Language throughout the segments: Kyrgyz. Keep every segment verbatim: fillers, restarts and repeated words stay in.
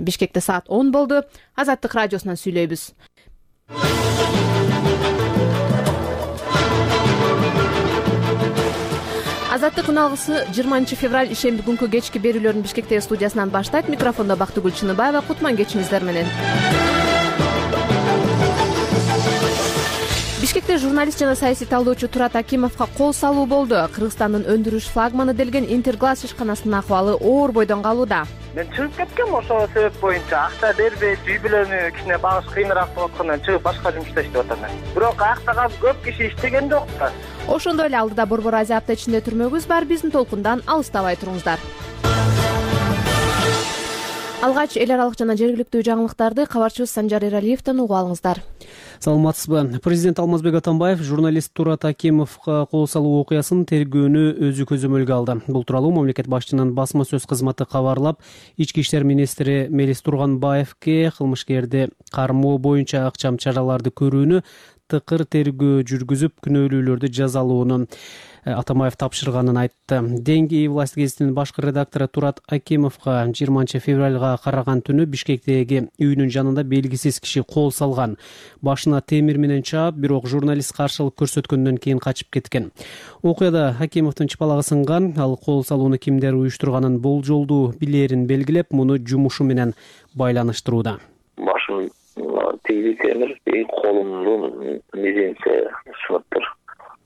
Бишкекте саат он болду. Азаттык радиосунан сүйлөйбүз. Азаттык күн алгысы жыйырманчы февраль ишемби күнкү кечки берүүлөрүн Бишкектеги студиясынан баштайт. Микрофондо Бактыгүл Чыныбаева. Кутман кечиңиздер менен. Бишкекте журналист жана саясий талдоочу Турат Акимовго кол салуу болду. Кыргызстандын өндүрүш флагманы делген Интерглаз ишканасынын акыбалы оор бойдон калууда. Мен чыгып кеткем ошол себеп боюнча акча бербей, үй бүлөнү кичине багыш кыйыныраак болуп аткандан чыгып башка жумушта иштеп атам. Бирок акта калып көп киши иштеген жок да. Ошондой эле алдыда Борбор Азия апта ичинде түрмөгүбүз бар. Биздин толкундан алыстабай туруңуздар. Алгач эл аралык жана жергиликтүү жаңылыктарды кабарчыбыз Санжар Эралиевден угуп алыңыздар. Саламатсызбы? Президент Алмазбек Атамбаев журналист Турат Акимовго кол салуу окуясын тергөөнү өзү көзөмөлгө алды. Бул тууралуу мамлекет башчынын басма сөз кызматы кабарлап, ички иштер министри Мелис Турганбаевге кылмышкерди кармоо боюнча акчам чараларды көрүүнү, тыкыр тергөө жүргүзүп, күнөөлүүлөрдү жазалоону Атамбаев тапшырганын айтты. Деньги и власть гезитинин башкы редактору Турат Акимовго жыйырманчы февралга караган түнү Бишкектеги үйүнүн жанында белгисиз киши кол салган. Башына темир менен чаап, бирок журналист каршылык көрсөткөндөн кийин качып кеткен. Окуяда Акимовдун чыпалагы сынган. Ал кол салууну кимдер уюштурганын болжолдуу билерин белгилеп, муну жумушу менен байланыштырууда. Башым тегизи темир, колумдун мизинче сыныптыр.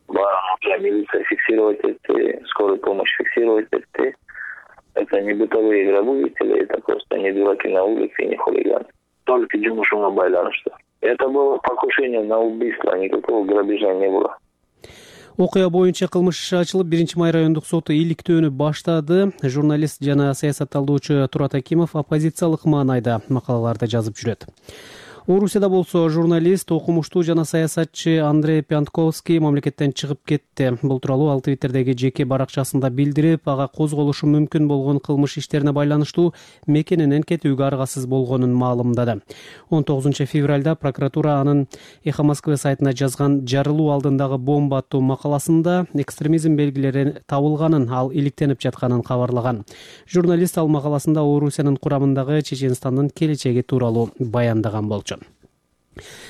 Бара милиция фиксировать этти, скорая помощь фиксировать этти. Это не бытовые грабители, это просто не дураки на улице и не хулиганы. Только жумушуга байланыштуу. Это было покушение на убийство, никакого грабежа не было. Окуя боюнча кылмыш иши ачылып, биринчи май райондук соту иликтөөнү баштады. Журналист жана саясат талдоочу Турат Акимов оппозициялык маанайда макалаларды жазып жүрөт. Орусияда болсо журналист, окумуштуу жана саясатчы Андрей Пянтковский мамлекеттен чыгып кетти. Бул тууралуу ал Твиттердеги жеке баракчасында билдирип, ага козголушу мүмкүн болгон кылмыш иштерине байланыштуу мекенинен кетүүгө аргасыз болгонун маалымдады. он тогузунчу февралда прокуратура анын Эхо Москвы сайтына жазган жарылуу алдындагы бомба аттуу макаласында экстремизм белгилери табылганын, ал иликтенип жатканын кабарлаган. Журналист ал макаласында Орусиянын курамындагы Чеченстандын келечеги тууралуу баяндаган болчу.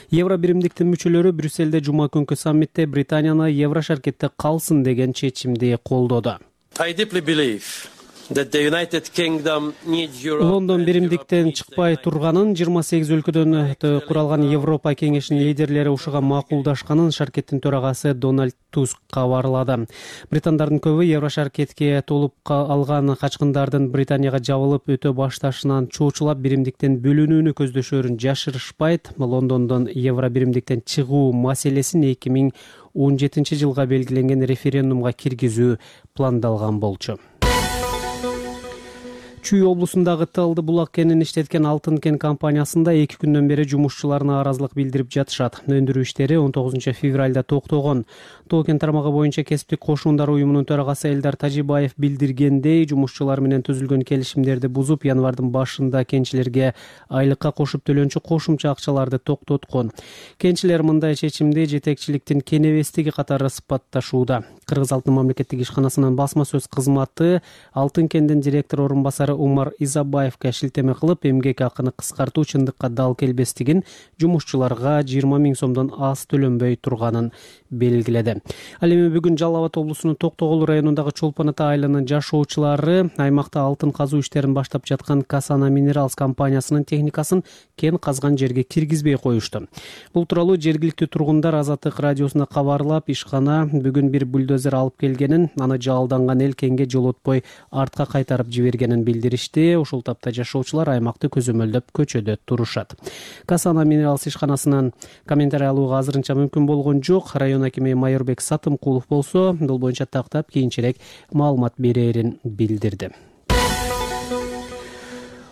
Евробиримдиктин мүчөлөрү Брюссельде жума күнкү саммитте Британияны Евро шаркетте калсын деген чечимди колдоду. Лондон биримдиктен чыкпай турганын, жыйырма сегиз өлкөдөн куралган Европа кеңешинин лидерлери ушуга макулдашканын шаркеттин төрагасы Дональд Туск кабарлады. Британдардын көбү Евро шаркетке толуп алган качкындардын Британияга жабылып өтө башташынан чоочулап биримдиктен бөлүнүүнү көздөшөрүн жашырышпайт. Лондондон Евро биримдиктен чыгуу маселесин эки миң он жетинчи жылга белгиленген референдумга киргизүү пландалган болчу. Чүй облусундагы Талды булак кенин иштеткен Алтын кен компаниясында эки күндөн бери жумушчуларына аразылык билдирип жатышат. Өндүрүү иштери он тогузунчу февралда токтогон. Тоо кен тармагы боюнча кесиптик кошундар уюмунун төрагасы Элдар Тажибаев билдиргендей, жумушчулар менен түзүлгөн келишимдерди бузуп, январдын башында кенчилерге айлыкка кошуп төлөнчү кошумча акчаларды токтоткон. Кенчилер мындай чечимди жетекчиликтин кенебестиги катары сыпатташууда. Кыргыз Алтын мамлекеттик ишканасынын басма сөз кызматы Алтын кендин директор орун басары Умар Изабаевга шилтеме кылып, эмгек акыны кыскартуу чындыкка дал келбестигин, жумушчуларга жыйырма миң сомдон аз төлөнбөй турганын белгиледи. Ал эми бүгүн Жалал Абад облусунун Токтогул районундагы Чолпон Ата айылынын жашоочулары аймакта алтын казуу иштерин баштап жаткан Касана Минералс компаниясынын техникасын кен казган жерге киргизбей коюшту. Бул тууралуу жергиликтүү тургундар Азаттык радиосуна кабарлап, ишкана бүгүн бир бульдозер алып келгенин, аны жалданган эл кенге жолотпой артка кайтарып жибергенин билдиришти. Ушул тапта жашоочулар аймакты көзөмөлдөп көчөдө турушат. Касана Минералс ишканасынан комментарий алууга азырынча мүмкүн болгон жок. Район акими Майорбек Сатымкулов болсо, бул боюнча тактап кийинчерээк маалымат берерин билдирди.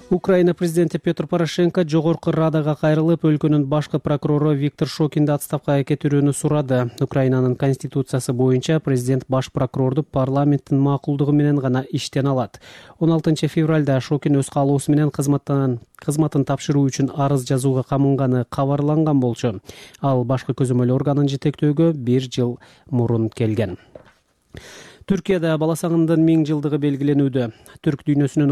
Украина президенти Петр Порошенко жогорку Радага кайрылып, өлкөнүн башкы прокурору Виктор Шокинди отставкага кетирүүнү сурады. Украинанын конституциясы боюнча президент баш прокурорду парламенттин макулдугу менен гана иштен алат. он алтынчы февралда Шокин өз каалоосу менен кызматтан кызматын тапшыруу үчүн арыз жазууга камынганы кабарланган болчу. Ал башкы көзөмөл органын жетектөөгө бир жыл мурун келген. Түркияда бала сагындын миң жылдыгы белгиленүүдө. Түрк дүйнөсүнүн